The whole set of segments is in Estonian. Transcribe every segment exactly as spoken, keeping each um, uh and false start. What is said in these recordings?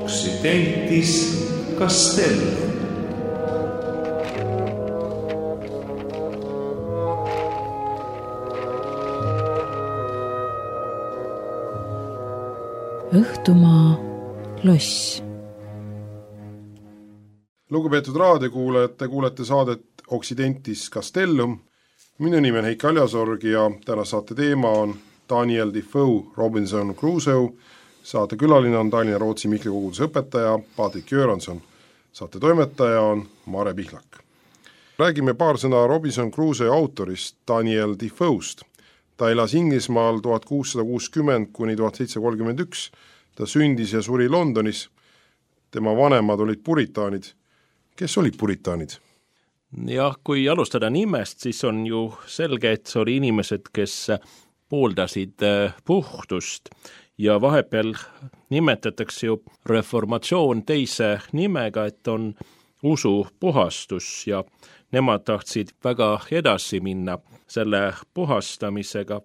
Occidentis Castellum. Õhtumaa loss. Lugupeetud raadiokuulajad, te kuulete saadet Occidentis Castellum. Minu nimi on Heiki Aljasorg ja täna saate teema on Daniel Defoe Robinson Crusoe. Saate külaline on Tallinna Rootsi Mihkli koguduse õpetaja Patrik Göransson. Saate toimetaja on Mare Pihlak. Räägime paar sõna Robinson Crusoe autorist Daniel Defoe'st. Ta elas Inglismaal tuhat kuussada kuuskümmend kuni tuhat seitsesada kolmkümmend üks. Ta sündis ja suri Londonis. Tema vanemad olid puritaanid. Kes olid puritaanid? Jah, kui alustada nimest, siis on ju selge, et see oli inimesed, kes pooldasid puhtust ja vahepeal nimetatakse ju reformatsioon teise nimega, et on usu puhastus ja nemad tahtsid väga edasi minna selle puhastamisega,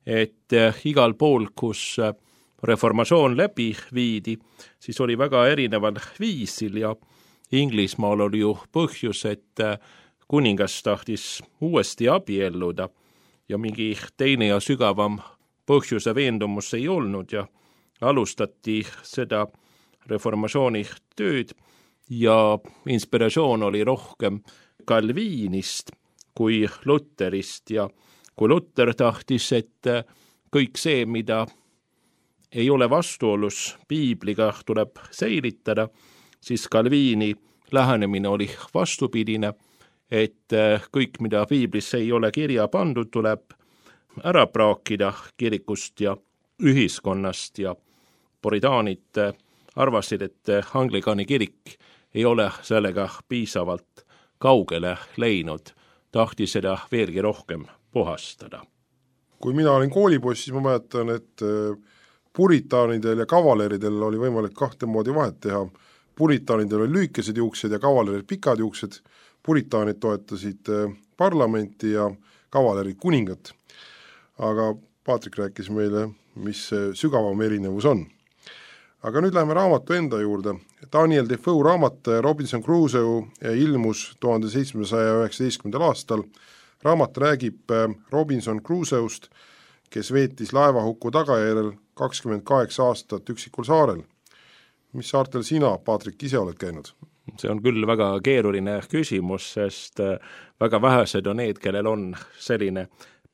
et igal pool, kus reformatsioon läbi viidi, siis oli väga erineval viisil ja Inglismaal oli ju põhjus, et kuningas tahtis uuesti abielluda ja mingi teine ja sügavam põhjuse veendumus ei olnud ja alustati seda reformatsiooni tööd ja inspiratsioon oli rohkem Calvinist kui Lutterist ja kui Lutter tahtis, et kõik see, mida ei ole vastuolus Piibliga, tuleb säilitada, siis Calvini lähenemine oli vastupidine, et kõik, mida Piiblis ei ole kirja pandud, tuleb ära praakida kirikust ja ühiskonnast ja puritaanid arvasid, et Anglikani kirik ei ole sellega piisavalt kaugele läinud, tahtis seda veelgi rohkem puhastada. Kui mina olin koolipoiss, siis ma mäletan, et puritaanidel ja kavaleridel oli võimalik kahte moodi vahet teha. Puritaanidel oli lühikesed juuksed ja kavalerid pikad juuksed. Puritaanid toetasid parlamenti ja kavalerid kuningat. Aga Patrik rääkis meile, mis sügavam erinevus on. Aga nüüd läheme raamatu enda juurde. Daniel Defoe raamat Robinson Crusoe ilmus tuhande seitsmesaja üheksateistkümnendal aastal. Raamat räägib Robinson Crusoe'st, kes veetis laevahuku tagajärjel kakskümmend kaheksa aastat üksikul saarel. Mis saartel sina, Patrik, ise oled käinud? See on küll väga keeruline küsimus, sest väga vähesed on need, kellel on selline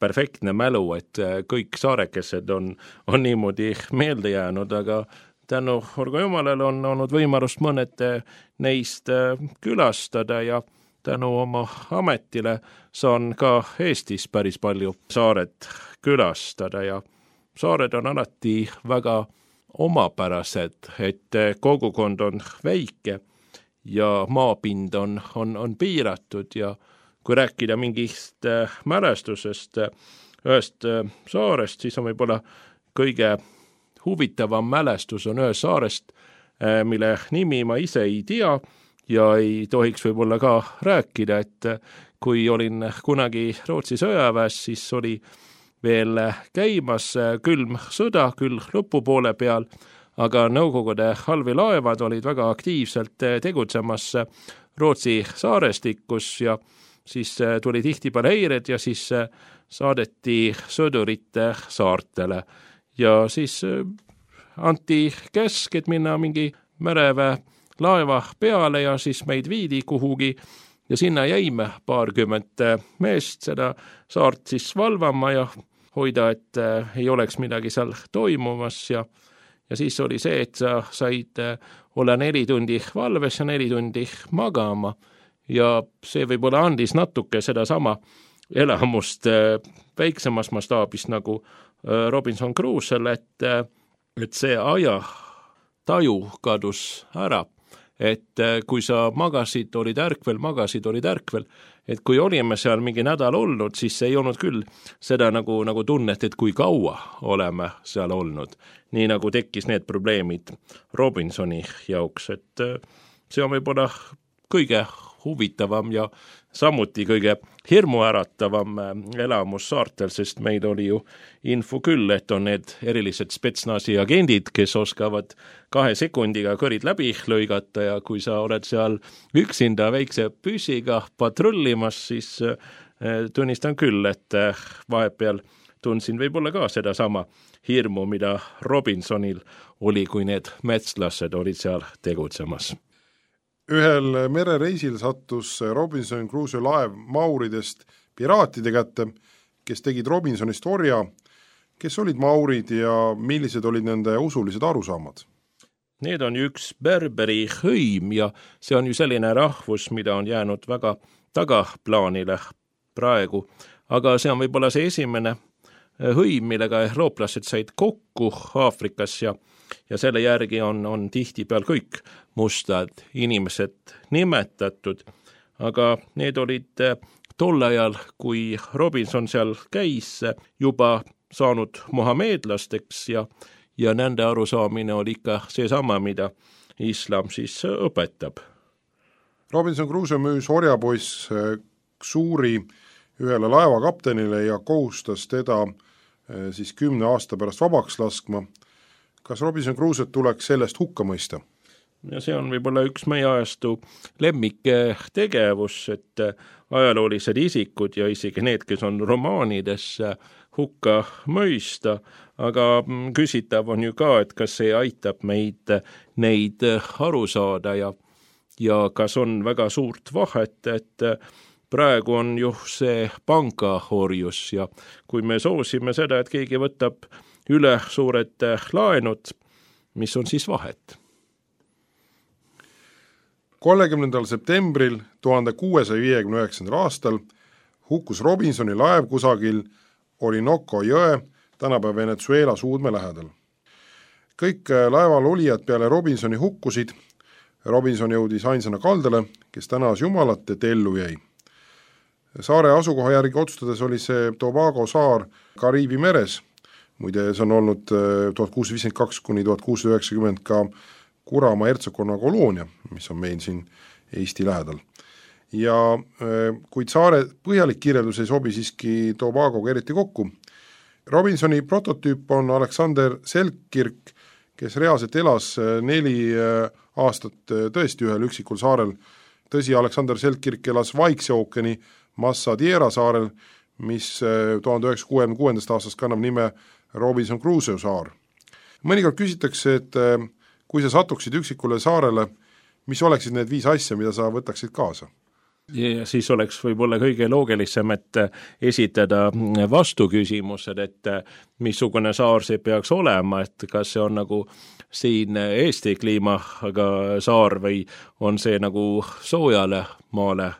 perfektne mälu, et kõik saarekesed on, on niimoodi meelde jäänud, aga tänu Orgo Jumalale on olnud võimalust mõned neist külastada ja tänu oma ametile saan ka Eestis päris palju saared külastada ja saared on alati väga omapärased, et kogukond on väike ja maapind on, on, on piiratud ja kui rääkida mingist mälestusest ühest saarest, siis on võib-olla kõige huvitavam mälestus on ühest saarest, mille nimi ma ise ei tea ja ei tohiks võib-olla ka rääkida, et kui olin kunagi Rootsi sõjaväes, siis oli veel käimas külm sõda, küll lõpupoole peal, aga Nõukogude allveelaevad olid väga aktiivselt tegutsemas Rootsi saarestikus ja siis tuli tihtipeale häired ja siis saadeti sõdurite saartele ja siis anti käsk, et minna mingi mereväe laeva peale ja siis meid viidi kuhugi ja sinna jäime paarkümmend meest seda saart siis valvama ja hoida, et ei oleks midagi seal toimumas ja, ja siis oli see, et sa said olla neli tundi valves ja neli tundi magama ja see võib-olla andis natuke seda sama elamust väiksemas mastaabis nagu Robinson Crusoe'l, et, et see aja taju kadus ära et kui sa magasid, olid ärkvel, magasid, olid ärkvel, et kui olime seal mingi nädal olnud, siis ei olnud küll seda nagu, nagu tunnet, et kui kaua oleme seal olnud. Nii nagu tekkis need probleemid Robinsoni jauks, et see on võib-olla kõige huvitavam ja samuti kõige hirmuäratavam elamus saartel, sest meil oli ju info küll, et on need erilised spetsnasi agendid, kes oskavad kahe sekundiga kõrid läbi lõigata ja kui sa oled seal üksinda väikse püssiga patrullimas, siis tunnistan küll, et vahepeal tundsin võib-olla ka seda sama hirmu, mida Robinsonil oli, kui need metslased olid seal tegutsemas. Ühel merereisil sattus Robinson Crusoe laev mauridest piraatide kätte, kes tegid Robinsonist orja. Kes olid maurid ja millised olid nende usulised arusaamad? Need on üks berberi hõim ja see on ju selline rahvus, mida on jäänud väga tagaplaanile praegu. Aga see on võib-olla see esimene hõim, millega eurooplased said kokku Aafrikas ja ja selle järgi on, on tihti peal kõik mustad inimesed nimetatud, aga need olid tol ajal, kui Robinson seal käis, juba saanud mohameedlasteks ja, ja nende arusaamine oli ikka seesama, mida islam siis õpetab. Robinson Crusoe müüs orjapoiss Xuuri ühele laevakaptenile ja kohustas teda siis kümne aasta pärast vabaks laskma. Kas Robinson Crusoe tuleks sellest hukka mõista? Ja see on võib-olla üks meie ajastu lemmik tegevus, et ajaloolised isikud ja isegi need, kes on romaanides hukka mõista, aga küsitav on ju ka, et kas see aitab meid neid aru saada ja, ja kas on väga suurt vahet, et praegu on ju see pangaorjus ja kui me soosime seda, et keegi võtab üle suured laenud, mis on siis vahet? kolmekümnendal septembril tuhande kuuesaja viiekümne üheksandal aastal hukkus Robinsoni laev kusagil Orinoco jõe, tänapäeva Venezuela suudme lähedal. Kõik laeval olijad peale Robinsoni hukkusid. Robinson jõudis ainsana kaldale, kes tänas Jumalat, et ellu jäi. Saare asukoha järgi otsustades oli see Tobago saar Kariibi meres. Muide, see on olnud tuhat kuussada viiskümmend kaks kuni tuhat kuussada üheksakümmend ka Kurama hertsogkonna koloonia, mis on meil siin Eesti lähedal. Ja kuid saare põhjalik kirjeldus ei sobi siiski Tobagoga eriti kokku. Robinsoni prototüüp on Alexander Selkirk, kes reaalselt elas neli aastat tõesti ühel üksikul saarel. Tõsi, Alexander Selkirk elas Vaikse ookeani Massadiera saarel, mis tuhande üheksasaja kuuekümne kuuendast aastast kannab nime Robinson Crusoe saar. Mõnikord küsitakse, et kui sa satuksid üksikule saarele, mis oleksid need viis asja, mida sa võtaksid kaasa? Ja siis oleks võib-olla kõige loogilisem, et esitada vastuküsimused, et missugune saar see peaks olema, et kas see on nagu siin Eesti kliimaga saar või on see nagu soojale maale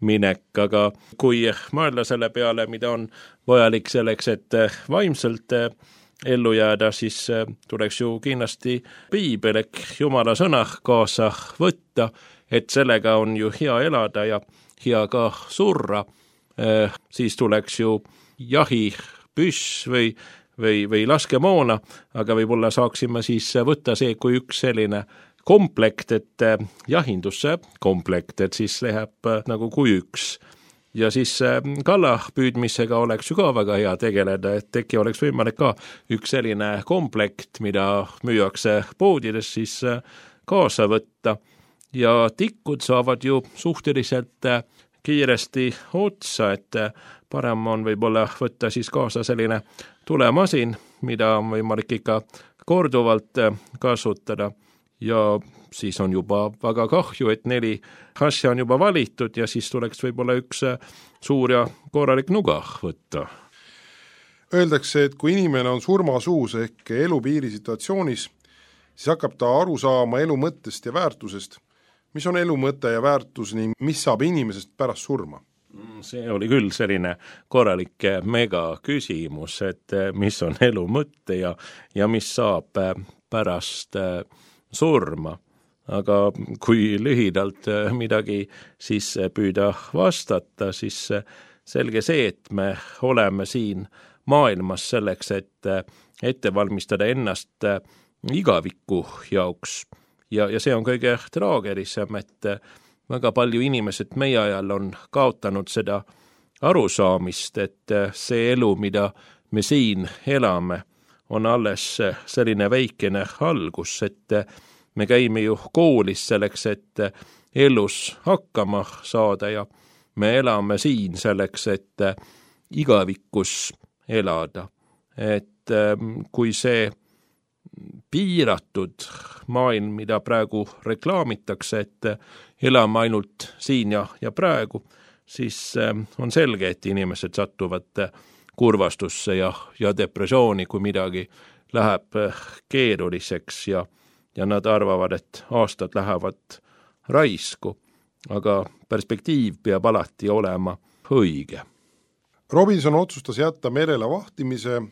minek, aga kui mõelda selle peale, mida on vajalik selleks, et vaimselt ellu jääda, siis tuleks ju kindlasti piibel ehk Jumala sõna kaasa võtta, et sellega on ju hea elada ja hea ka surra, siis tuleks ju jahipüss või, või, või laskemoona, aga võib-olla saaksime siis võtta see kui üks selline komplekt, et jahindusse komplekt, et siis läheb nagu kui üks. Ja siis kalla püüdmisega oleks ju ka väga hea tegeleda, et teki oleks võimalik ka üks selline komplekt, mida müüakse poodides, siis kaasa võtta. Ja tikkud saavad ju suhteliselt kiiresti otsa, et parem on võib-olla võtta siis kaasa selline tulemasin, mida on võimalik ikka korduvalt kasutada. Ja siis on juba väga kahju, et neli asja on juba valitud ja siis tuleks võib-olla üks suur ja korralik nuga võtta. Öeldakse, et kui inimene on surmasuus ehk elupiiri situatsioonis, siis hakkab ta aru saama elu mõttest ja väärtusest. Mis on elu mõte ja väärtus ning mis saab inimesest pärast surma? See oli küll selline korralik mega küsimus, et mis on elu mõte ja, ja mis saab pärast surma. aga kui lühidalt midagi siis püüda vastata, siis selge see, et me oleme siin maailmas selleks, et ette valmistada ennast igaviku jaoks. Ja, ja see on kõige traagelisem, et väga palju inimesed meie ajal on kaotanud seda arusaamist, et see elu, mida me siin elame, on alles selline väikene algus, et me käime ju koolis selleks, et elus hakkama saada ja me elame siin selleks, et igavikus elada. Et kui see piiratud maailm, mida praegu reklaamitakse, et elame ainult siin ja, ja praegu, siis on selge, et inimesed satuvad kurvastusse ja, ja depressiooni, kui midagi läheb keeruliseks ja, ja nad arvavad, et aastad lähevad raisku, aga perspektiiv peab alati olema õige. Robinson otsustas jätta merele vahtimise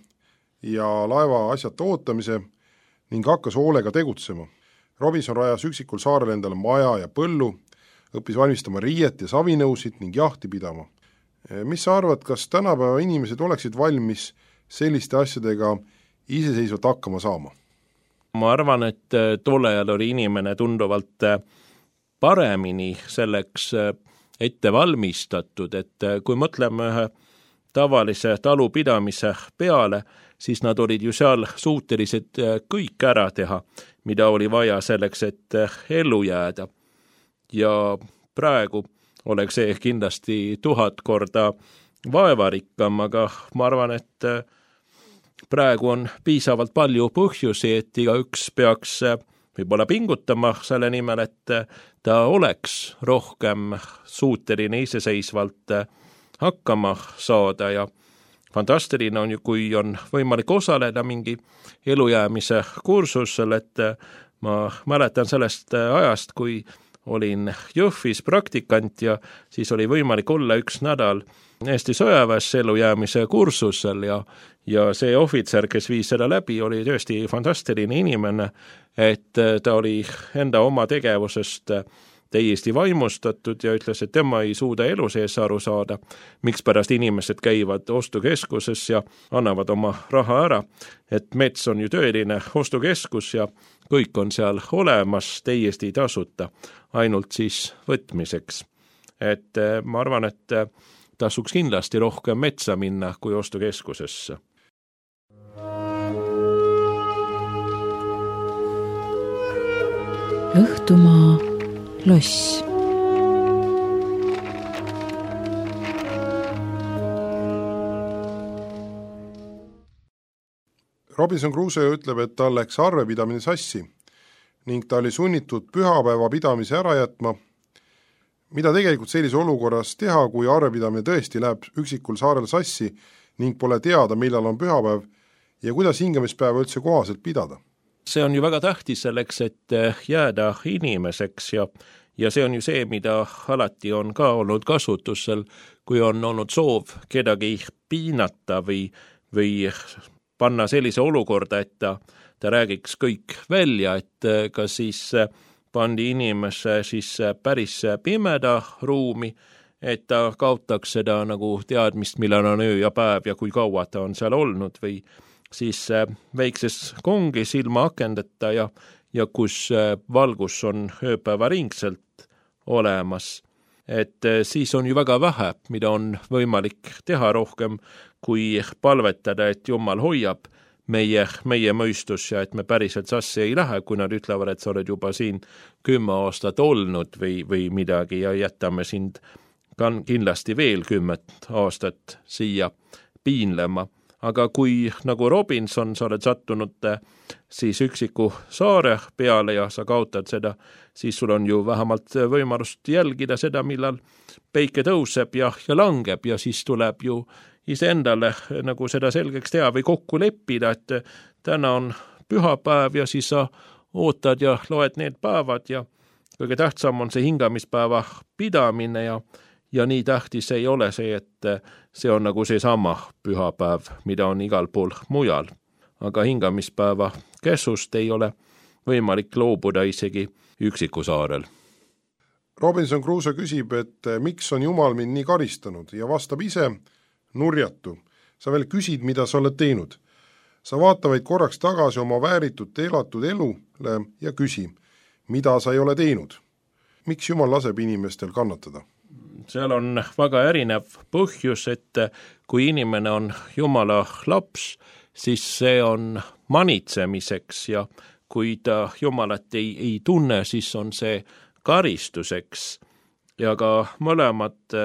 ja laeva asjata ootamise ning hakkas hoolega tegutsema. Robinson rajas üksikul saarel endale maja ja põllu, õppis valmistama riiet ja savinõusid ning jahti pidama. Mis sa arvad, kas tänapäeva inimesed oleksid valmis selliste asjadega iseseisvalt hakkama saama? Ma arvan, et tolle ajal oli inimene tunduvalt paremini selleks ette valmistatud, et kui mõtleme ühe tavalise talupidamise peale, siis nad olid ju seal suutelised kõik ära teha, mida oli vaja selleks, et ellu jääda. Ja praegu oleks see kindlasti tuhat korda vaevarikkam, aga ma arvan, et praegu on piisavalt palju põhjusi, et igaüks peaks võib-olla pingutama selle nimel, et ta oleks rohkem suuteline iseseisvalt hakkama saada ja fantastiline on ju, kui on võimalik osaleda mingi elujäämise kursusel, et ma mäletan sellest ajast, kui olin Jõhvis praktikant ja siis oli võimalik olla üks nädal Eesti sõjaväes elujäämise kursusel ja, ja see ohvitser, kes viis seda läbi, oli tõesti fantastiline inimene, et ta oli enda oma tegevusest täiesti vaimustatud ja ütles, et tema ei suuda elu sees aru saada, miks pärast inimesed käivad ostukeskuses ja annavad oma raha ära, et mets on ju tõeline ostukeskus ja kõik on seal olemas täiesti tasuta, ainult siis võtmiseks. Et ma arvan, et tasuks kindlasti rohkem metsa minna kui ostukeskusesse. Õhtumaa loss. Robinson Crusoe ütleb, et tal läks arvepidamine sassi ning ta oli sunnitud pühapäeva pidamise ära jätma. Mida tegelikult sellise olukorras teha, kui arvepidamine tõesti läheb üksikul saarel sassi ning pole teada, millal on pühapäev ja kuidas hingamispäeva üldse kohaselt pidada? See on ju väga tähtis selleks, et jääda inimeseks ja, ja see on ju see, mida alati on ka olnud kasutusel, kui on olnud soov kedagi piinata või, või panna sellise olukorda, et ta, ta räägiks kõik välja, et ka siis pandi inimese siis päris pimeda ruumi, et ta kaotaks seda nagu teadmist, millal on öö ja päev ja kui kaua ta on seal olnud või siis väikses kongis ilma akendeta ja, ja kus valgus on ööpäeva ringselt olemas. Et siis on ju väga vähe, mida on võimalik teha rohkem, kui palvetada, et Jumal hoiab meie, meie mõistus ja et me päriselt sassi ei lähe, kui nad ütlevad, et sa oled juba siin kümme aastat olnud või, või midagi ja jätame sind kindlasti veel kümmet aastat siia piinlema. Aga kui nagu Robinson sa oled sattunud siis üksiku saare peale ja sa kaotad seda, siis sul on ju vähemalt võimalust jälgida seda, millal päike tõuseb ja, ja langeb ja siis tuleb ju iseendale nagu seda selgeks teha või kokku leppida, et täna on pühapäev ja siis sa ootad ja loed need päevad ja kõige tähtsam on see hingamispäeva pidamine ja Ja nii tähtis ei ole see, et see on nagu see sama pühapäev, mida on igal pool mujal. Aga hingamispäeva käsust ei ole võimalik loobuda isegi üksiku saarel. Robinson Crusoe küsib, et miks on Jumal mind nii karistanud ja vastab ise nurjatu. Sa veel küsid, mida sa oled teinud. Sa vaata vaid korraks tagasi oma vääritut elatud elule ja küsi, mida sa ei ole teinud. Miks Jumal laseb inimestel kannatada? Seal on väga erinev põhjus, et kui inimene on Jumala laps, siis see on manitsemiseks ja kui ta Jumalat ei, ei tunne, siis on see karistuseks. Ja ka mõlemad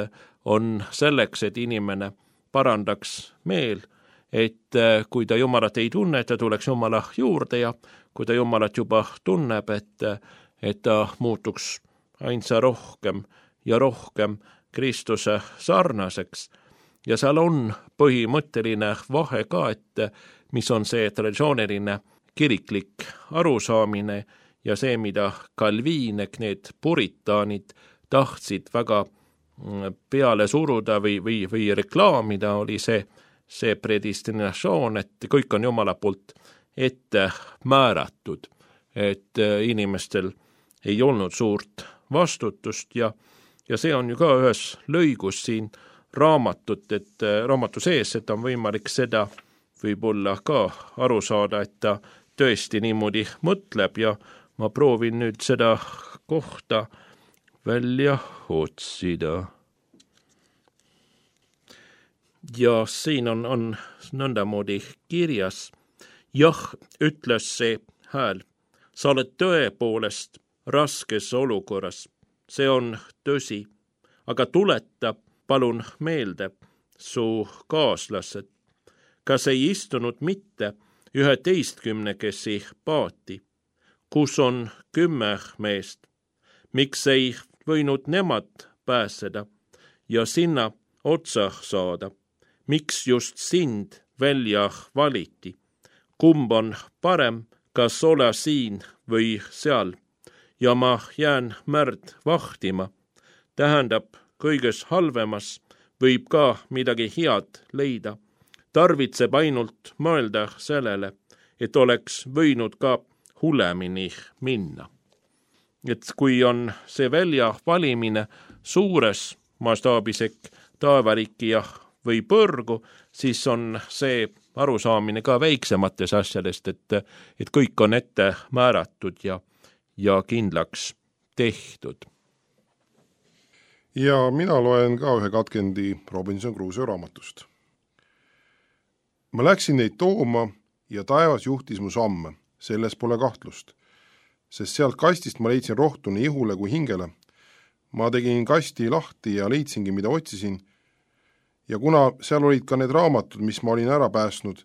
on selleks, et inimene parandaks meel, et kui ta Jumalat ei tunne, et ta tuleks Jumala juurde ja kui ta Jumalat juba tunneb, et, et ta muutuks ainsa rohkem ja rohkem Kristuse sarnaseks. Ja seal on põhimõtteline vahe ka, et mis on see traditsiooniline kiriklik arusaamine ja see, mida Calvin, need puritaanid tahtsid väga peale suruda või, või, või reklaamida, oli see, see predestinatsioon, et kõik on Jumala poolt ette määratud, et inimestel ei olnud suurt vastutust ja, ja see on ju ka ühes lõigus siin raamatut, et raamatu sees, et on võimalik seda võib-olla ka aru saada, et ta tõesti niimoodi mõtleb ja ma proovin nüüd seda kohta välja otsida. Ja siin on, on nõndamoodi kirjas, jah, ütles see hääl, sa oled tõepoolest raskes olukorras, see on tõsi, aga tuleta palun meelde su kaaslased, kas ei istunud mitte üheteistkümnekesi paati, kus on kümme meest, miks ei võinud nemad pääseda ja sinna otsa saada, miks just sind välja valiti, kumb on parem, kas ole siin või seal, ja ma jään märd vahtima, tähendab kõiges halvemas võib ka midagi head leida, tarvitseb ainult mõelda sellele, et oleks võinud ka hullemini minna. Et kui on see välja valimine suures mastaabisek taevariki ja või põrgu, siis on see arusaamine ka väiksemates asjadest, et, et kõik on ette määratud ja, ja kindlaks tehtud. Ja mina loen ka ühe katkendi Robinson Crusoe raamatust. Ma läksin neid tooma ja taevas juhtis mu samme, selles pole kahtlust, sest sealt kastist ma leidsin rohtu nii ihule kui hingele. Ma tegin kasti lahti ja leidsingi, mida otsisin, ja kuna seal olid ka need raamatud, mis ma olin ära pääsnud,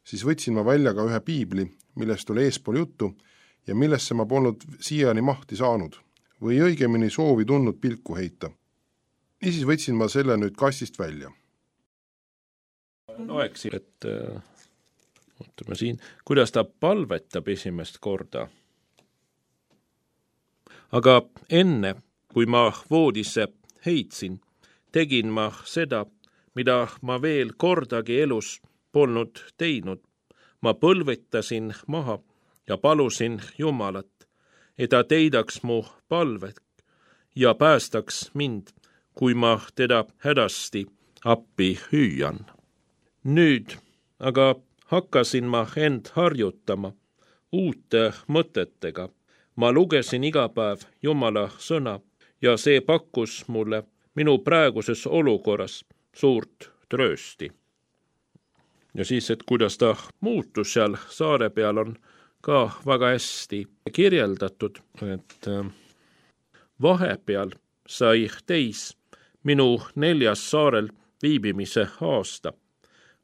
siis võtsin ma välja ka ühe piibli, millest oli eespool juttu ja millesse ma polnud siiani mahti saanud või õigemini soovi tundnud pilku heita. Niisiis võtsin ma selle nüüd kastist välja. Loeksi, et äh, ootame siin, kuidas ta palvetab esimest korda. Aga enne, kui ma voodisse heitsin, tegin ma seda, mida ma veel kordagi elus polnud teinud. Ma põlvetasin maha ja palusin Jumalat, et ta teidaks mu palvet ja päästaks mind, kui ma teda hädasti appi hüüan. Nüüd aga hakkasin ma end harjutama uute mõtetega. Ma lugesin iga päev Jumala sõna ja see pakkus mulle minu praeguses olukorras suurt tröösti. Ja siis, et kuidas ta muutus seal saare peal, on ka väga hästi kirjeldatud, et vahepeal sai teis minu neljas saarel viibimise aasta.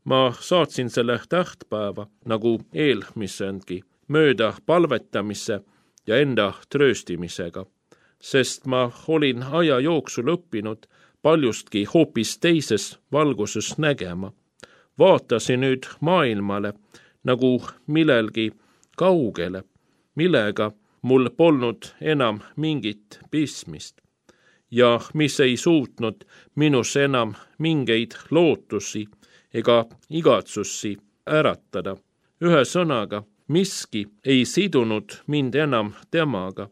Ma saatsin selle tähtpäeva nagu eelmisengi mööda palvetamise ja enda trööstimisega, sest ma olin aja jooksul õppinud paljustki hoopis teises valguses nägema. Vaatasin nüüd maailmale nagu millelgi kaugele, millega mul polnud enam mingit pistmist ja mis ei suutnud minus enam mingeid lootusi ega igatsusi äratada. Ühe sõnaga miski ei sidunud mind enam temaga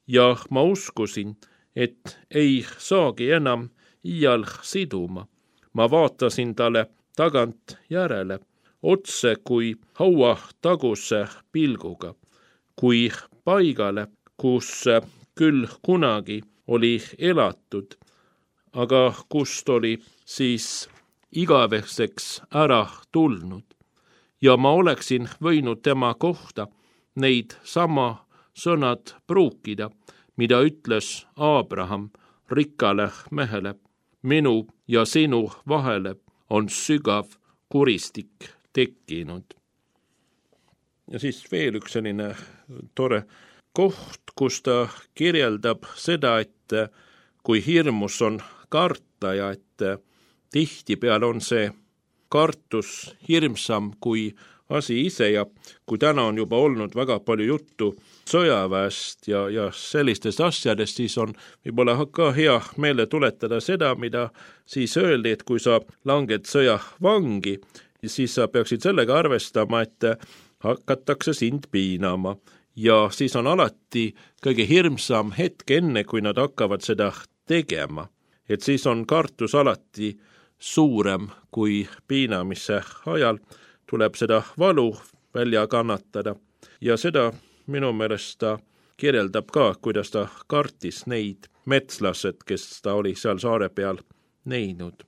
ja ma uskusin, et ei saagi enam iial siduma. Ma vaatasin talle tagant järele, otse kui haua taguse pilguga, kui paigale, kus küll kunagi oli elatud, aga kust oli siis igaveseks ära tulnud. Ja ma oleksin võinud tema kohta neid sama sõnad pruukida, mida ütles Abraham rikkale mehele. Minu ja sinu vahele on sügav kuristik tekkinud. Ja siis veel üks selline tore koht, kus ta kirjeldab seda, et kui hirmus on karta ja et tihtipeale on see kartus hirmsam kui asi ise ja kui täna on juba olnud väga palju juttu sõjaväest ja, ja sellistest asjadest, siis on võib-olla ka hea meelde tuletada seda, mida siis öeldi, et kui sa langed sõjavangi, siis sa peaksid sellega arvestama, et hakatakse sind piinama ja siis on alati kõige hirmsam hetk enne, kui nad hakkavad seda tegema. Et siis on kartus alati suurem kui piinamise ajal, tuleb seda valu välja kannatada ja seda minu meelest ta kirjeldab ka, kuidas ta kartis neid metslased, kes ta oli seal saare peal näinud.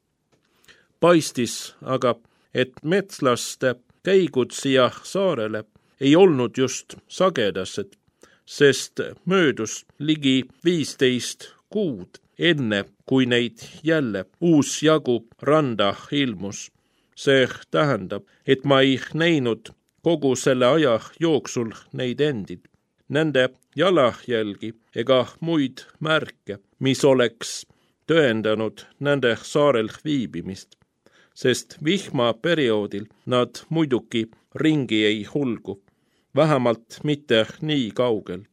Paistis aga, et metslaste käigud siia saarele ei olnud just sagedased, sest möödus ligi viisteist kuud enne, kui neid jälle uus jagu randa ilmus. See tähendab, et ma ei näinud kogu selle aja jooksul neid endid, nende jalajälgi ega muid märke, mis oleks tõendanud nende saarel viibimist, sest vihmaperioodil nad muidugi ringi ei hulgu, vähemalt mitte nii kaugel.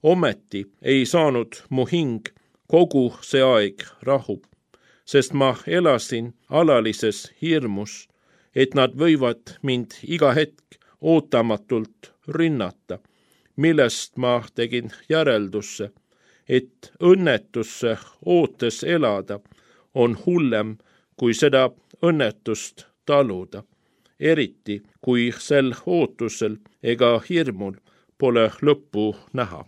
Ometi ei saanud mu hing kogu see aeg rahu, sest ma elasin alalises hirmus, et nad võivad mind iga hetk ootamatult rünnata, millest ma tegin järeldusse, et õnnetusse ootes elada on hullem kui seda õnnetust taluda, eriti kui sel ootusel ega hirmul pole lõppu näha.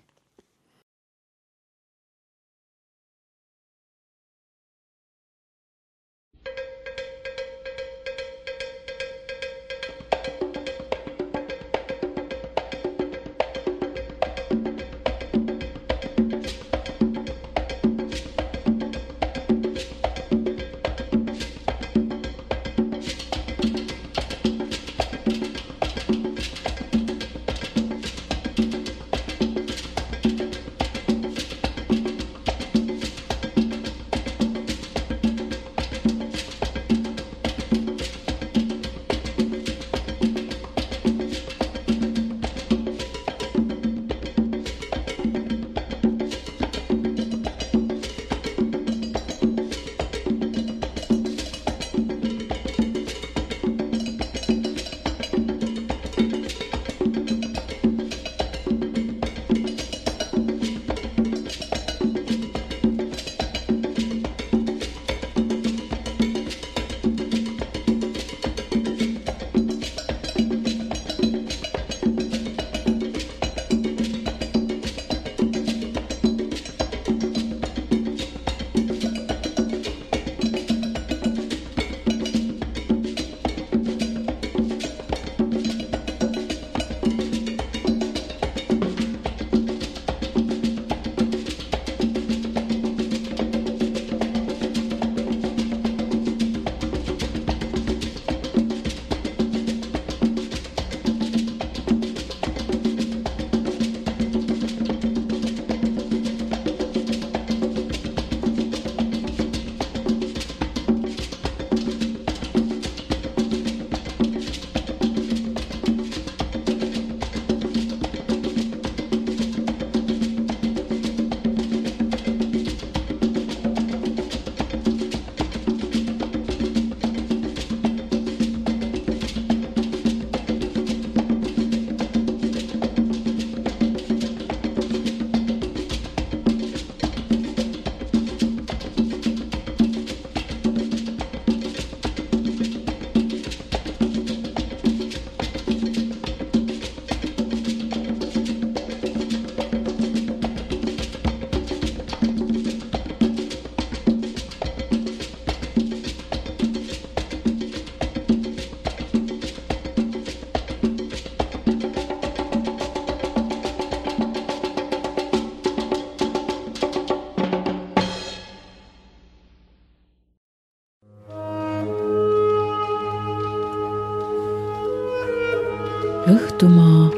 Tartumaa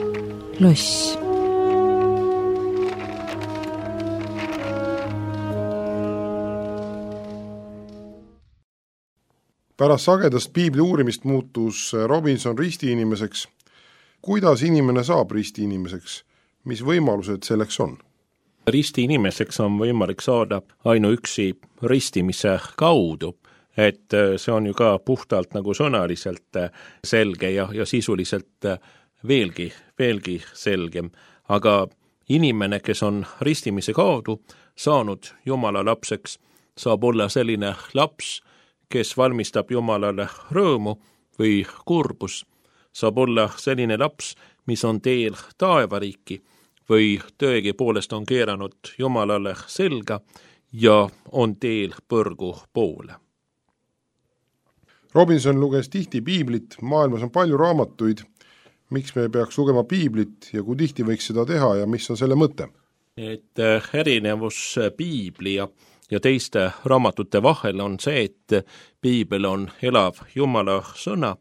loss. Pärast sagedast piibli uurimist muutus Robinson ristiinimeseks. Kuidas inimene saab ristiinimeseks? Mis võimalused selleks on? Ristiinimeseks on võimalik saada ainuüksi ristimise kaudu, et see on ju ka puhtalt nagu sõnaliselt selge ja, ja sisuliselt veelgi, veelgi selgem. Aga inimene, kes on ristimise kaudu saanud Jumala lapseks, saab olla selline laps, kes valmistab Jumalale rõõmu või kurbus, saab olla selline laps, mis on teel taevariiki või tõegi poolest on keeranud Jumalale selga ja on teel põrgu poole. Robinson luges tihti piiblit, maailmas on palju raamatuid. Miks me peaks lugema piiblit ja kui tihti võiks seda teha ja mis on selle mõte? Et erinevus piibli ja Ja teiste raamatute vahel on see, et piibel on elav Jumala sõna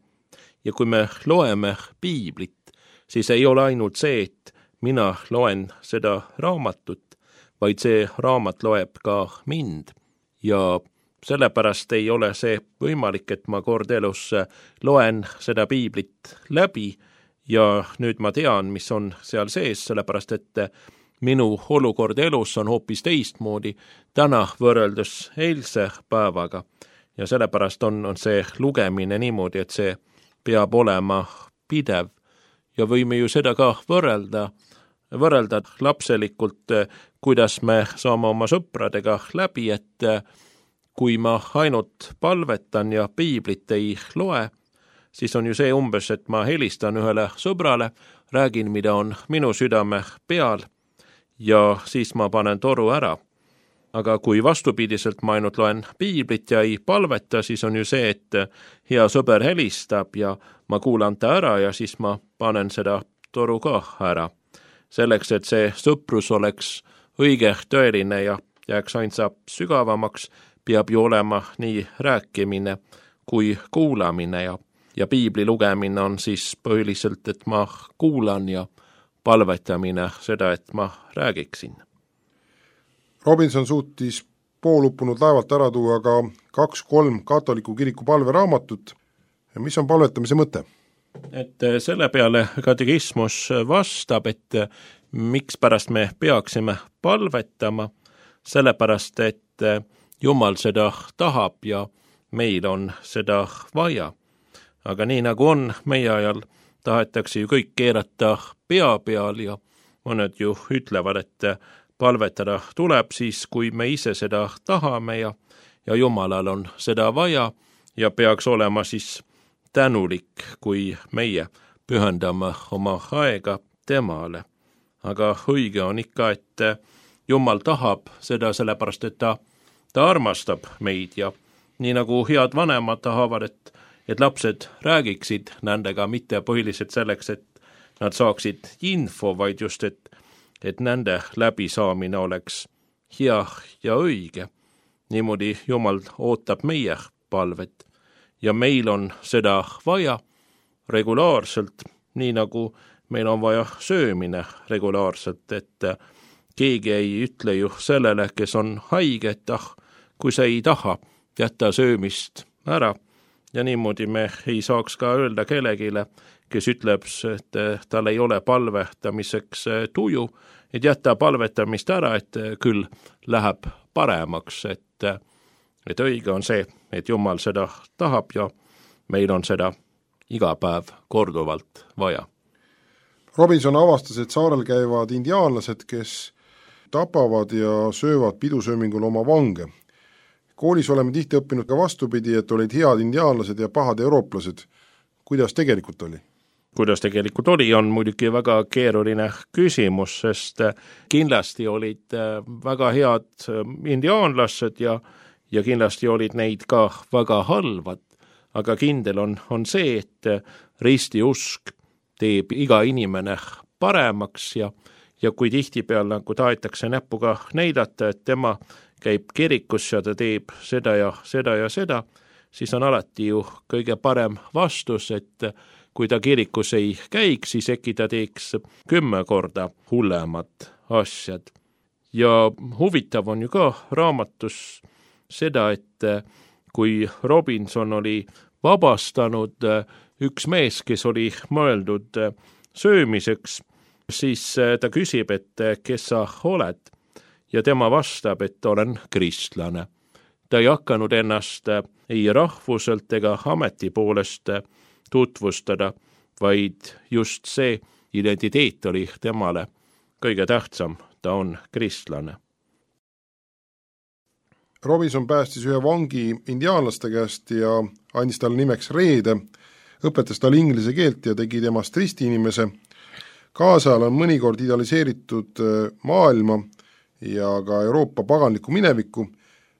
ja kui me loeme piiblit, siis ei ole ainult see, et mina loen seda raamatut, vaid see raamat loeb ka mind. Ja sellepärast ei ole see võimalik, et ma kord elus loen seda piiblit läbi ja nüüd ma tean, mis on seal sees, sellepärast et minu olukord elus on hoopis teistmoodi täna võrreldes eilse päevaga ja sellepärast on, on see lugemine niimoodi, et see peab olema pidev ja võime ju seda ka võrrelda, võrrelda lapselikult, kuidas me saame oma sõpradega läbi, et kui ma ainult palvetan ja piiblit ei loe, siis on ju see umbes, et ma helistan ühele sõbrale, räägin, mida on minu südame peal, ja siis ma panen toru ära. Aga kui vastupidiselt ma ainult loen piiblit ja ei palveta, siis on ju see, et hea sõber helistab ja ma kuulan ta ära ja siis ma panen seda toru ka ära. Selleks, et see sõprus oleks õige, tõeline ja jääks ainsa sügavamaks, peab ju olema nii rääkimine kui kuulamine ja, ja piibli lugemine on siis põhiliselt, et ma kuulan ja palvetamine seda, et ma räägiksin. Robinson suutis pooluppunud laevalt ära tuua ka kaks-kolm katoliku kiriku palveraamatut. Mis on palvetamise mõte? Et selle peale katekismus vastab, et miks pärast me peaksime palvetama, sellepärast, et Jumal seda tahab ja meil on seda vaja. Aga nii nagu on meie ajal, tahetakse ju kõik keerata pea peal ja mõned ju ütlevad, et palvetada tuleb siis, kui me ise seda tahame ja, ja Jumalal on seda vaja ja peaks olema siis tänulik, kui meie pühendame oma aega temale. Aga õige on ikka, et Jumal tahab seda sellepärast, et ta, ta armastab meid ja nii nagu head vanemad tahavad, et et lapsed räägiksid nendega mitte põhiliselt selleks, et nad saaksid info, vaid just, et, et nende läbisaamine oleks hea ja õige. Niimoodi Jumal ootab meie palvet ja meil on seda vaja regulaarselt, nii nagu meil on vaja söömine regulaarselt, et keegi ei ütle ju sellele, kes on haige, et ah, kui sa ei taha, jätta söömist ära. Ja niimoodi me ei saaks ka öelda kellegile, kes ütleb, et tal ei ole palvetamiseks tuju, et jätta palvetamist ära, et küll läheb paremaks, et, et õige on see, et Jumal seda tahab ja meil on seda iga päev korduvalt vaja. Robinson avastas, et saarel käivad indiaanlased, kes tapavad ja söövad pidusöömingul oma vange. Koolis oleme tihti õppinud ka vastupidi, et olid head indiaanlased ja pahad eurooplased. Kuidas tegelikult oli? Kuidas tegelikult oli, on muidugi väga keeruline küsimus, sest kindlasti olid väga head indiaanlased ja, ja kindlasti olid neid ka väga halvad. Aga kindel on, on see, et ristiusk teeb iga inimene paremaks ja, ja kui tihti peal nagu tahetakse näpuga näidata, et tema käib kirikus ja ta teeb seda ja seda ja seda, siis on alati ju kõige parem vastus, et kui ta kirikus ei käiks, siis äkki ta teeks kümme korda hullemat asjad. Ja huvitav on ju ka raamatus seda, et kui Robinson oli vabastanud üks mees, kes oli mõeldud söömiseks, siis ta küsib, et kes sa oled, ja tema vastab, et olen kristlane. Ta ei hakanud ennast ei rahvuselt ega ameti poolest tutvustada, vaid just see identiteet oli temale kõige tähtsam, ta on kristlane. Robinson päästis ühe vangi indiaanlaste käest ja andis talle nimeks Reede, õpetas talle inglise keelt ja tegi temast risti inimese. Kaasajal on mõnikord idealiseeritud maailma ja ka Euroopa paganliku minevikku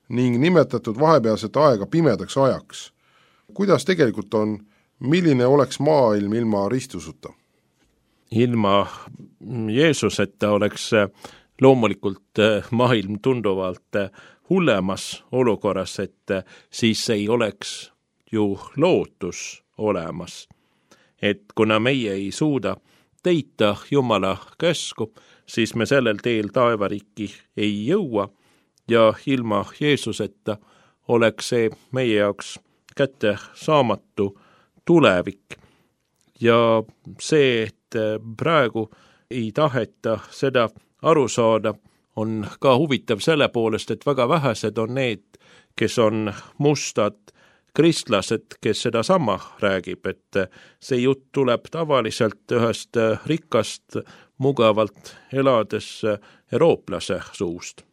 ning nimetatud vahepealset aega pimedaks ajaks. Kuidas tegelikult on, milline oleks maailm ilma ristusuta? Ilma Jeesuseta oleks loomulikult maailm tunduvalt hullemas olukorras, et siis ei oleks ju lootus olemas. Et kuna meie ei suuda teita Jumala käsku, siis me sellel teel taevariiki ei jõua ja ilma Jeesuseta oleks see meie jaoks kätte saamatu tulevik. Ja see, et praegu ei taheta seda aru saada, on ka huvitav selle poolest, et väga vähesed on need, kes on mustad kristlased, kes seda sama räägib, et see jutt tuleb tavaliselt ühest rikkast, mugavalt elades eurooplase suust.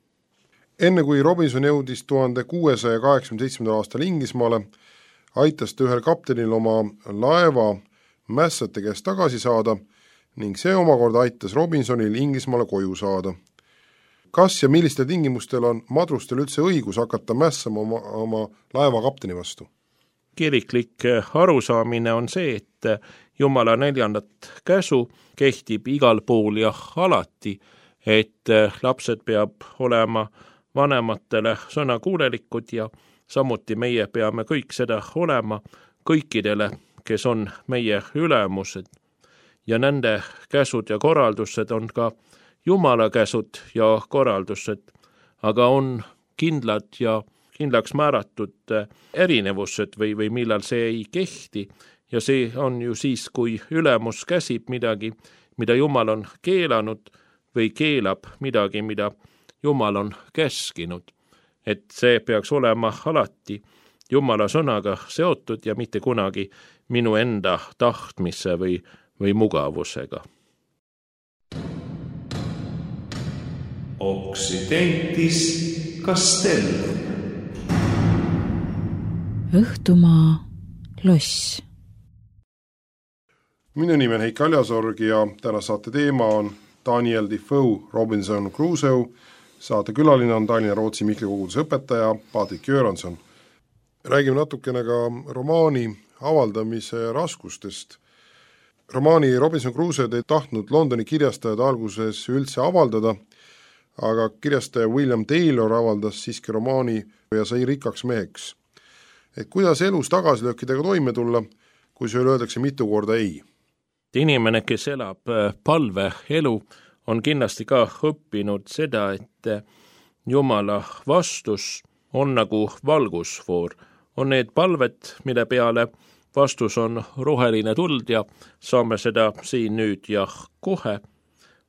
Enne kui Robinson jõudis tuhande kuuesaja kaheksakümne seitsmendal aastal Inglismaale, aitas ta ühel kaptenil oma laeva mässate käest tagasi saada ning see omakorda aitas Robinsonil Inglismaale koju saada. Kas ja millistel tingimustel on madrustel üldse õigus hakata mässama oma, oma laeva kapteni vastu? Kiriklik arusaamine on see, et Jumala neljandat käsu kehtib igal pool ja alati, et lapsed peab olema vanematele sõnakuulelikud ja samuti meie peame kõik seda olema kõikidele, kes on meie ülemused. Ja nende käsud ja korraldused on ka Jumala käsud ja korraldused, aga on kindlad ja kindlaks määratud erinevused või, või millal see ei kehti. Ja see on ju siis, kui ülemus käsib midagi, mida Jumal on keelanud või keelab midagi, mida Jumal on käskinud. Et see peaks olema alati Jumala sõnaga seotud ja mitte kunagi minu enda tahtmise või, või mugavusega. Occidentis Castellum. Õhtumaa loss. Minu nimi on Heiki Aljasorg ja täna saate teema on Daniel Defoe Robinson Crusoe. Saate külaline on Tallinna Rootsi Mihkli koguduse õpetaja Patrik Göransson. Räägime natukene ka romaani avaldamise raskustest. Romaani Robinson Crusoe ei tahtnud Londoni kirjastajad alguses üldse avaldada, aga kirjastaja William Taylor avaldas siiski romaani ja sai rikkaks meheks. Et kuidas elus tagasilöökidega toime tulla, kui see öeldakse mitu korda ei? Inimene, kes elab palve elu, on kindlasti ka õppinud seda, et Jumala vastus on nagu valgusfoor. On need palved, mille peale vastus on roheline tuld ja saame seda siin nüüd ja kohe.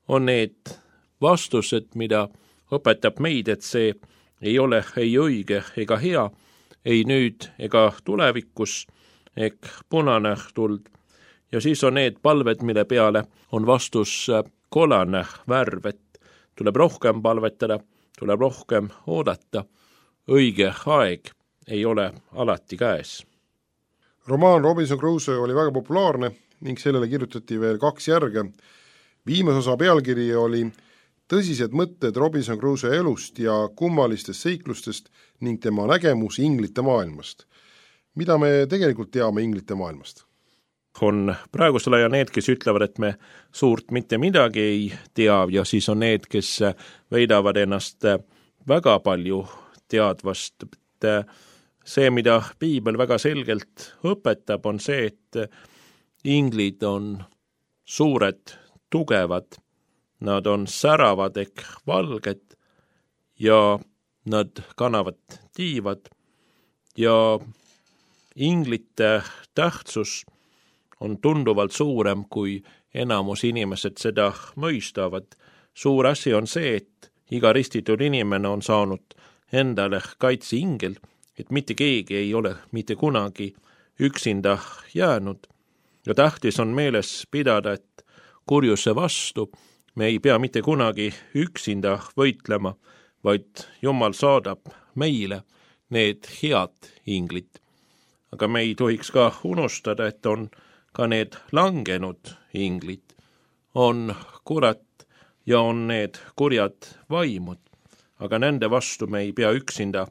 On need vastused, mida õpetab meid, et see ei ole ei õige ega hea, ei nüüd ega tulevikus, ehk punane tuld. Ja siis on need palved, mille peale on vastus kollane värv, et tuleb rohkem palvetada, tuleb rohkem oodata. Õige aeg ei ole alati käes. Romaan Robinson Crusoe oli väga populaarne ning sellele kirjutati veel kaks järge. Viimase osa pealkiri oli tõsised mõtted Robinson Crusoe elust ja kummalistest seiklustest ning tema nägemus inglite maailmast. Mida me tegelikult teame inglite maailmast? On praegusel ajal need, kes ütlevad, et me suurt mitte midagi ei tea ja siis on need, kes veidavad ennast väga palju teadvast. See, mida Piibel väga selgelt õpetab, on see, et inglid on suured, tugevad, nad on säravad ehk valged ja nad kannavad tiivad ja inglite tähtsus on tunduvalt suurem, kui enamus inimesed seda mõistavad. Suur asi on see, et iga ristitud inimene on saanud endale kaitseingel, et mitte keegi ei ole mitte kunagi üksinda jäänud. Ja tähtis on meeles pidada, et kurjuse vastu me ei pea mitte kunagi üksinda võitlema, vaid Jumal saadab meile need head inglid. Aga me ei tohiks ka unustada, et on ka need langenud inglid. On kurat ja on need kurjad vaimud, aga nende vastu me ei pea üksinda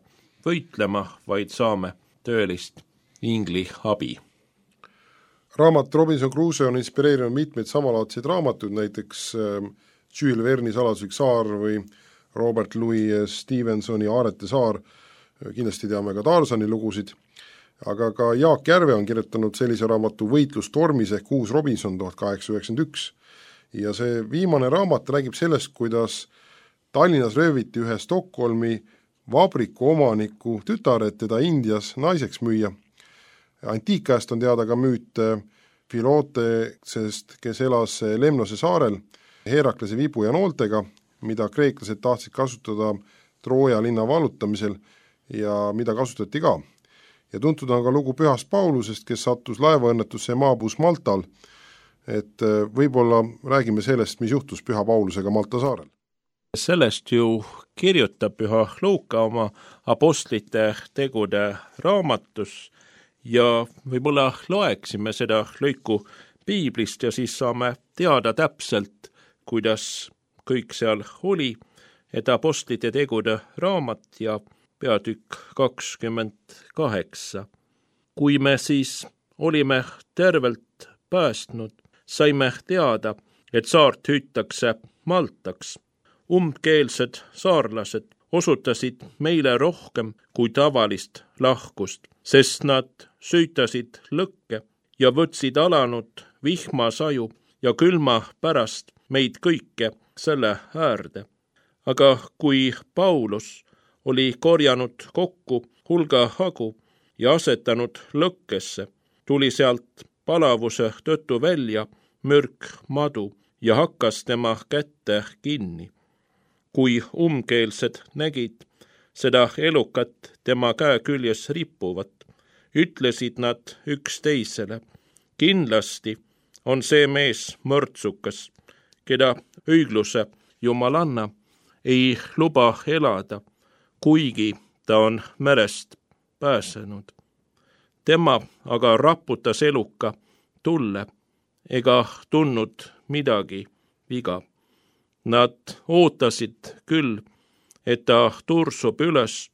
võitlema, vaid saame tõelist ingli abi. Raamat Robinson Crusoe on inspireerinud mitmeid samalaadseid raamatuid, näiteks Jules Verne'i Saladuslik saar või Robert Louis Stevensoni Aarete saar, kindlasti teame ka Tarzani lugusid, aga ka Jaak Järve on kirjutanud sellise raamatu Võitlus tormis ehk Uus Robinson tuhat kaheksasada üheksakümmend üks ja see viimane raamat räägib sellest, kuidas Tallinnas rööviti ühe Stockholmi vabriku omaniku tütar, et teda Indias naiseks müüa. Antiikkäest on teada ka müüt Filotesest, kes elas Lemnose saarel Heraklase vibu ja nooltega, mida kreeklased tahtsid kasutada Trooja linna vallutamisel ja mida kasutati ka. Ja tuntud on ka lugu Pühast Paulusest, kes sattus laevaõnnetusse ja maabus Maltal, et võib-olla räägime sellest, mis juhtus Püha Paulusega Malta saarel. Sellest ju kirjutab Püha Luuka oma apostlite tegude raamatus ja võib-olla loeksime seda lõiku piiblist ja siis saame teada täpselt, kuidas kõik seal oli, et apostlite tegude raamat ja peatükk kakskümmend kaheksa. Kui me siis olime tervelt päästnud, saime teada, et saart hüütakse Maltaks. Umbkeelsed saarlased osutasid meile rohkem kui tavalist lahkust, sest nad süütasid lõkke ja võtsid alanud vihmasaju ja külma pärast meid kõike selle äärde. Aga kui Paulus oli korjanud kokku hulga hagu ja asetanud lõkkesse, tuli sealt palavuse tõttu välja mürk madu ja hakkas tema kätte kinni. Kui umbkeelsed nägid seda elukat tema käe küljes rippuvat, ütlesid nad üksteisele, kindlasti on see mees mõrtsukas, keda õigluse jumalanna ei luba elada, kuigi ta on merest pääsenud. Tema aga raputas eluka tulle ega tundnud midagi viga. Nad ootasid küll, et ta tursub üles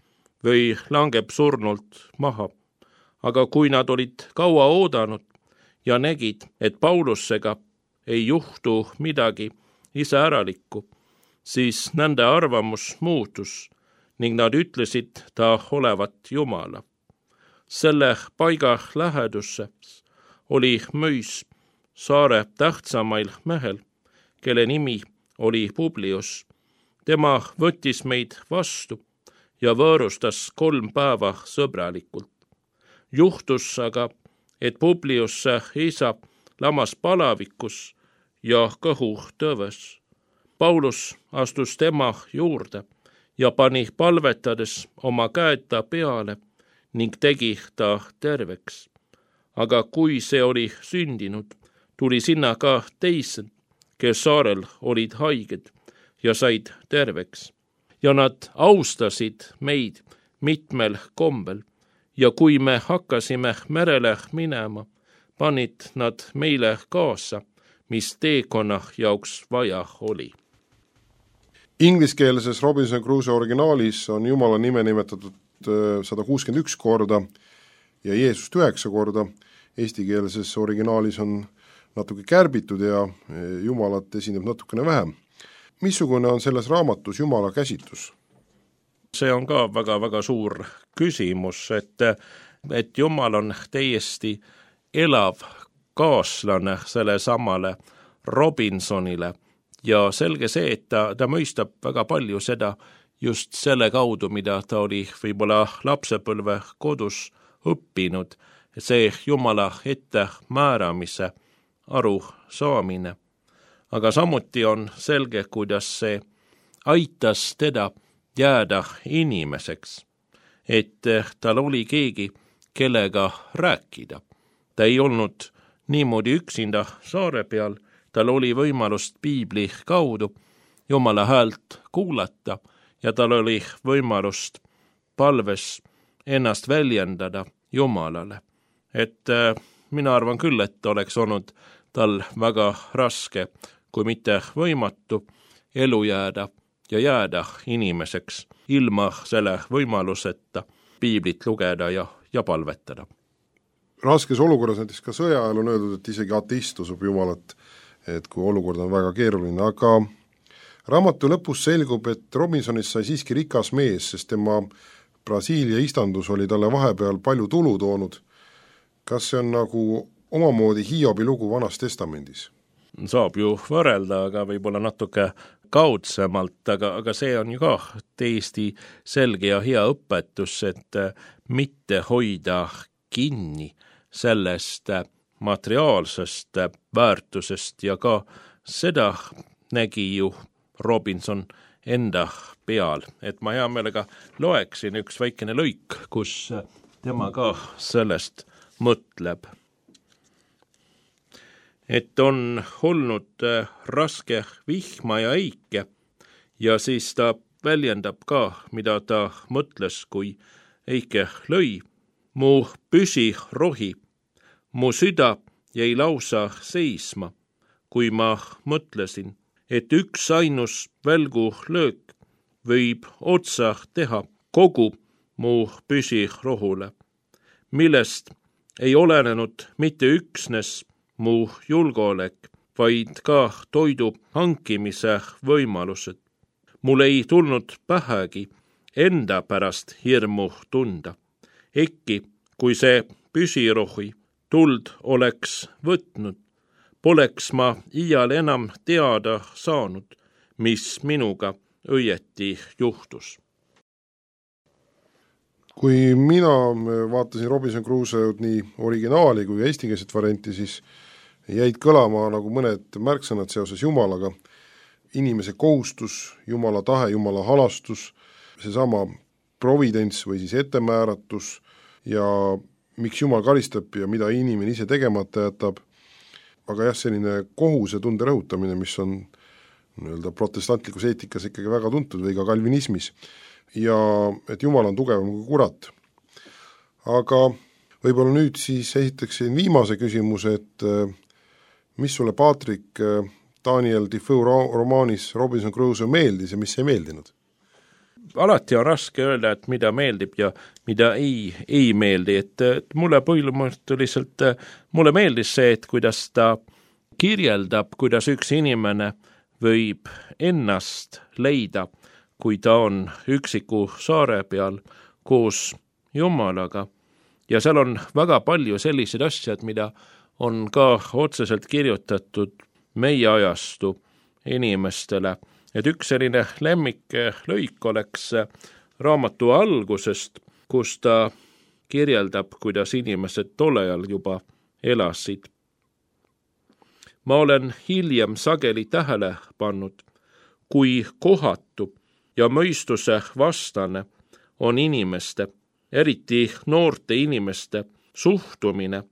või langeb surnult maha. Aga kui nad olid kaua oodanud ja nägid, et Paulusega ei juhtu midagi iseäralikku, siis nende arvamus muutus ning nad ütlesid ta olevat Jumala. Selle paiga lähedusse oli mõis saare tähtsamail mehel, kelle nimi oli Publius. Tema võttis meid vastu ja võõrustas kolm päeva sõbralikult. Juhtus aga, et Publiusse isa lamas palavikus ja kõhu tõves. Paulus astus tema juurde ja pani palvetades oma käed ta peale ning tegi ta terveks. Aga kui see oli sündinud, tuli sinna ka teised, kes saarel olid haiged ja said terveks. Ja nad austasid meid mitmel kombel ja kui me hakkasime merele minema, panid nad meile kaasa, mis teekonna jaoks vaja oli. Ingliskeelses Robinson Crusoe originaalis on Jumala nime nimetatud sada kuuskümmend üks korda ja Jeesust üheksa korda. Eestikeelses originaalis on natuke kärbitud ja Jumalat esineb natukene vähem. Missugune on selles raamatus Jumala käsitlus? See on ka väga-väga suur küsimus, et, et Jumal on täiesti elav kaaslane selle samale Robinsonile ja selge see, et ta, ta mõistab väga palju seda just selle kaudu, mida ta oli võib-olla lapsepõlve kodus õppinud, see Jumala ette määramise aru saamine. Aga samuti on selge, kuidas see aitas teda jääda inimeseks, et tal oli keegi, kellega rääkida. Ta ei olnud niimoodi üksinda saare peal, tal oli võimalust piibli kaudu Jumala häält kuulata ja tal oli võimalust palves ennast väljendada Jumalale. Et äh, mina arvan küll, et oleks olnud tal väga raske, kui mitte võimatu elu jääda ja jääda inimeseks ilma selle võimaluseta piiblit lugeda ja, ja palvetada. Raskes olukorras näiteks ka sõja ajal on öeldud, et isegi ateist usub Jumalat, et kui olukord on väga keeruline, aga raamatu lõpus selgub, et Robinsonist sai siiski rikas mees, sest tema Brasiilia istandus oli talle vahepeal palju tulu toonud. Kas see on nagu omamoodi Hiobi lugu Vanas testamendis? Saab ju võrrelda, aga võib-olla natuke kaudsemalt, aga, aga see on ju ka täiesti selge ja hea õpetus, et mitte hoida kinni sellest materiaalsest väärtusest ja ka seda nägi ju Robinson enda peal, et ma hea meelega loeksin üks väikene lõik, kus tema ka sellest mõtleb. Et on olnud raske vihma ja eike ja siis ta väljendab ka, mida ta mõtles, kui eike lõi. Mu püsi rohi, mu süda jäi lausa seisma, kui ma mõtlesin, et üks ainus välgu löök võib otsa teha kogu mu püsirohule, millest ei olenenud mitte üksnes mu julgeolek, vaid ka toidu hankimise võimalused. Mul ei tulnud pähegi enda pärast hirmu tunda. Ekki, kui see püsirohi tuld oleks võtnud, poleks ma iial enam teada saanud, mis minuga õieti juhtus. Kui mina vaatasin Robinson Crusoe'd nii originaali kui eestikeelset varianti, siis jäid kõlama nagu mõned märksõnad seoses Jumalaga. Inimese kohustus, Jumala tahe, Jumala halastus, seesama providents või siis ettemääratus ja miks Jumal karistab ja mida inimene ise tegemata jätab. Aga jah, selline kohuse tunde rõhutamine, mis on nii-öelda protestantlikus eetikas ikkagi väga tuntud või ka kalvinismis. Ja et Jumal on tugevam kui kurat. Aga võib-olla nüüd siis esitaksin viimase küsimuse, et mis sulle, Patrick, Daniel Defoe romaanis Robinson Crusoe meeldis ja mis ei meeldinud? Alati on raske öelda, et mida meeldib ja mida ei, ei meeldi, et, et mulle põhimõtteliselt, mulle meeldis see, et kuidas ta kirjeldab, kuidas üks inimene võib ennast leida, kui ta on üksiku saare peal koos Jumalaga. Ja seal on väga palju sellised asjad, mida on ka otseselt kirjutatud meie ajastu inimestele. Et üks selline lemmik lõik oleks raamatu algusest, kus ta kirjeldab, kuidas inimesed tollejal juba elasid. Ma olen hiljem sageli tähele pannud, kui kohatu ja mõistuse vastane on inimeste, eriti noorte inimeste suhtumine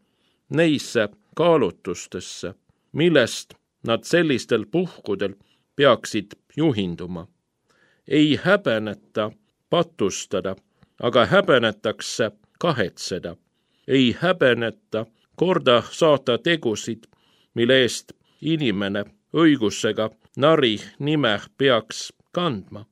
neisse kaalutustesse, millest nad sellistel puhkudel peaksid juhinduma. Ei häbeneta patustada, aga häbenetakse kahetseda. Ei häbeneta korda saata tegusid, mille eest inimene õigusega nari nime peaks kandma,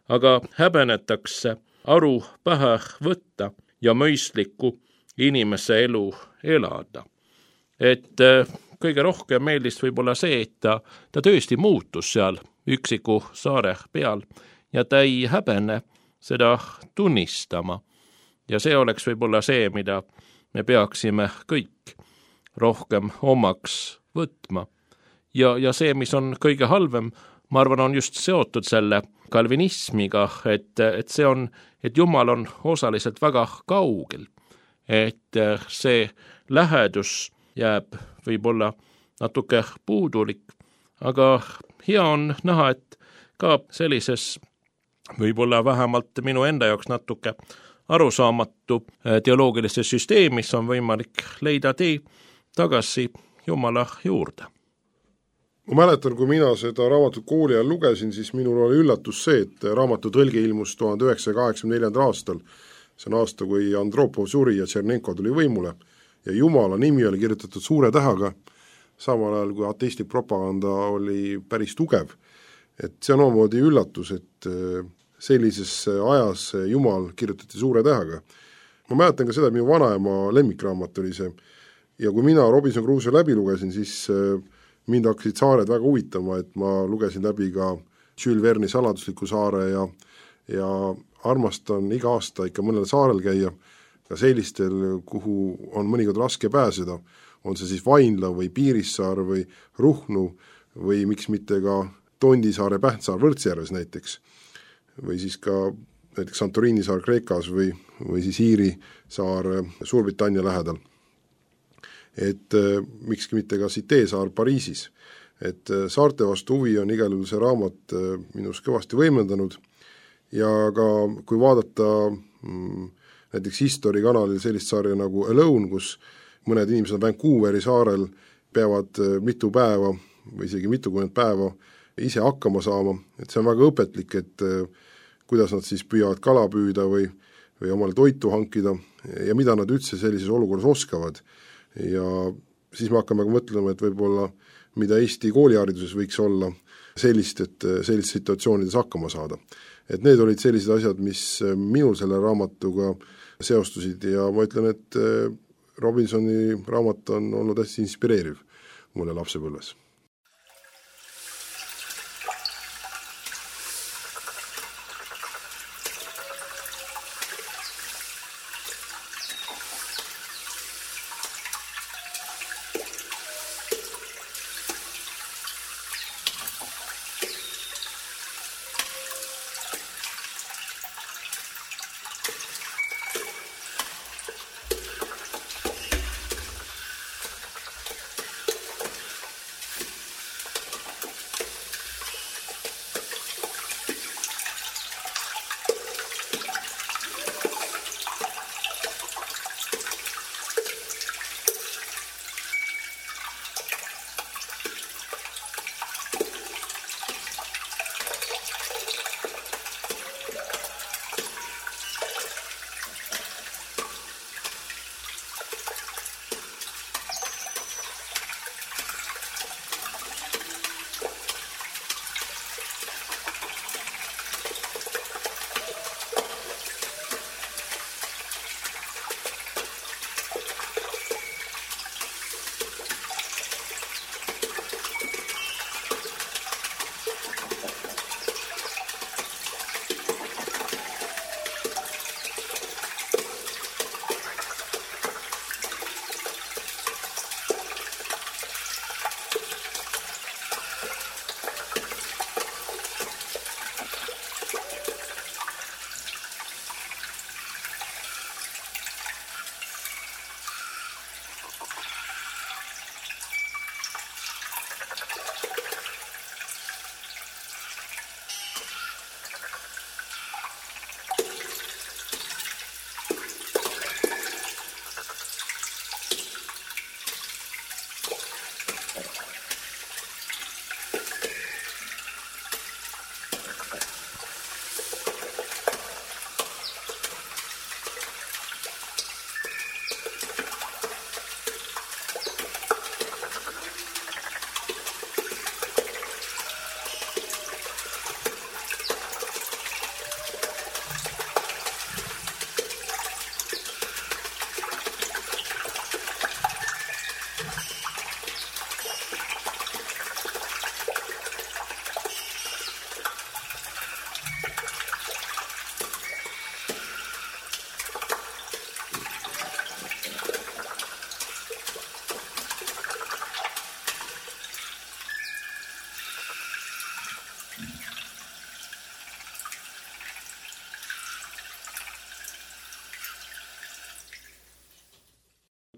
aga häbenetakse aru pähe võtta ja mõistlikku inimese elu elada. Et kõige rohkem meeldis võib-olla see, et ta, ta tõesti muutus seal üksiku saare peal ja ta ei häbene seda tunnistama. Ja see oleks võib-olla see, mida me peaksime kõik rohkem omaks võtma. Ja, ja see, mis on kõige halvem, ma arvan, on just seotud selle kalvinismiga, et, et see on, et Jumal on osaliselt väga kaugel, et see lähedus jääb võib-olla natuke puudulik, aga hea on näha, et ka sellises võib-olla vähemalt minu enda jaoks natuke arusaamatu teoloogilises süsteemis on võimalik leida tee tagasi Jumala juurde. Ma mäletan, kui mina seda raamatut kooli ajal lugesin, siis minul oli üllatus see, et raamatu tõlge ilmus tuhande üheksasaja kaheksakümne neljandal aastal. See on aasta, kui Andropov suri ja Tšernenko tuli võimule ja Jumala nimi oli kirjutatud suure tähaga, samal ajal kui ateistlik propaganda oli päris tugev. Et see on omamoodi üllatus, et sellises ajas Jumal kirjutati suure tähaga. Ma mäletan ka seda, et minu vanaema lemmikraamat oli see ja kui mina Robinson Crusoe läbi lugesin, siis mind hakkasid saared väga huvitama, et ma lugesin läbi ka Jules Verne'i Saladusliku saare ja, ja armastan iga aasta ikka mõnel saarel käia, ka sellistel, kuhu on mõnikord raske pääseda, on see siis Vainla või Piirissaar või Ruhnu või miks mitte ka Tondisaare Pähtsaar Võrtsjärves näiteks, või siis ka näiteks Santorini saar Kreekas või, või siis Iiri saar Suurbritannia lähedal. Et mikski mitte ka Cité saar Pariisis. Et saarte vastu huvi on igal juhul see raamat minus kõvasti võimendanud ja ka kui vaadata mm, näiteks History kanalil sellist saarja nagu Alone, kus mõned inimesed Vancouveri saarel peavad mitu päeva või isegi mitukümmend päeva ise hakkama saama, et see on väga õpetlik, et kuidas nad siis püüavad kala püüda või, või omale toitu hankida ja mida nad üldse sellises olukorras oskavad. Ja siis me hakkame mõtlema, et võib-olla mida Eesti koolihariduses võiks olla sellist, et sellistes situatsioonides hakkama saada. Et need olid sellised asjad, mis minul selle raamatuga seostusid ja ma ütlen, et Robinsoni raamat on olnud hästi inspireeriv mulle lapsepõlves.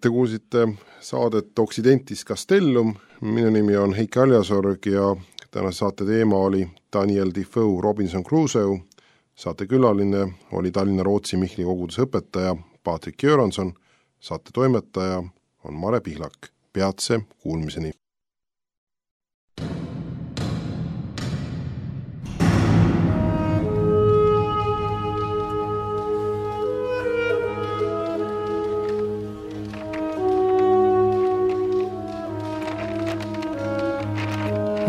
Te kuulsite saadet Occidentis Castellum, minu nimi on Heiki Aljasorg ja tänase saate teema oli Daniel Defoe Robinson Crusoe, saate külaline oli Tallinna Rootsi Mihkli koguduse õpetaja Patrik Göransson, saate toimetaja on Mare Pihlak. Peatse kuulmiseni!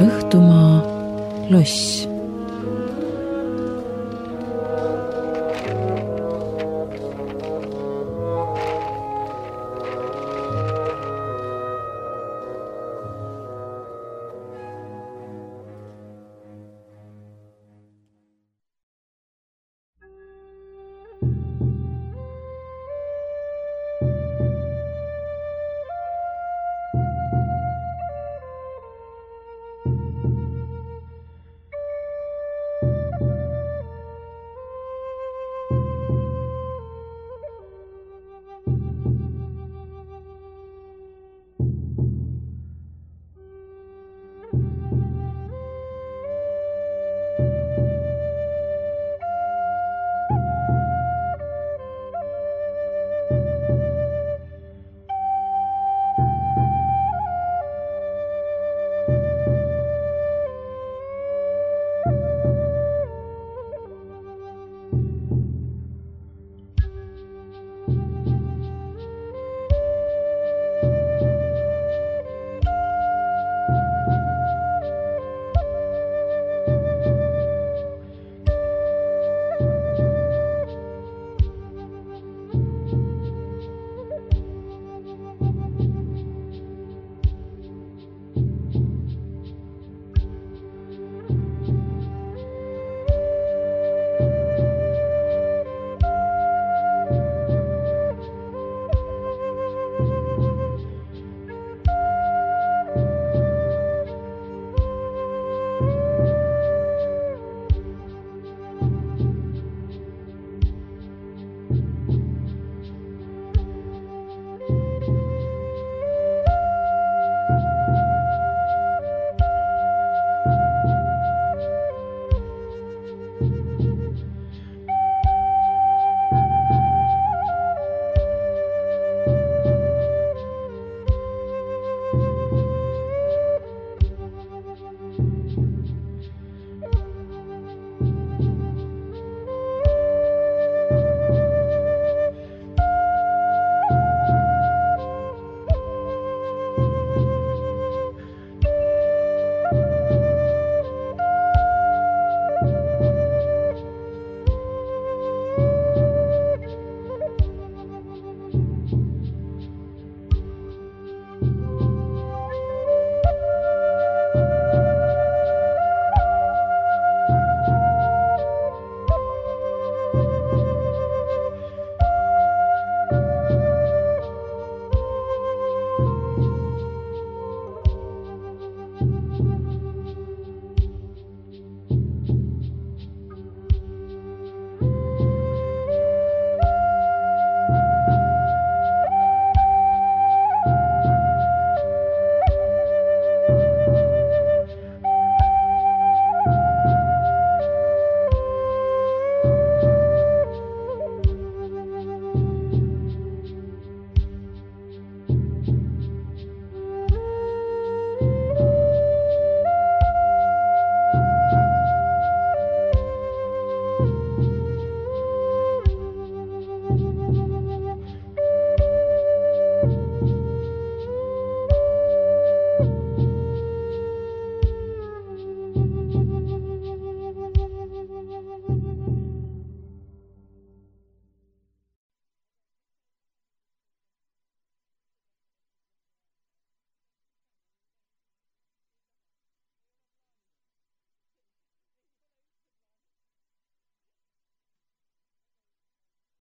Õhtumaa loss.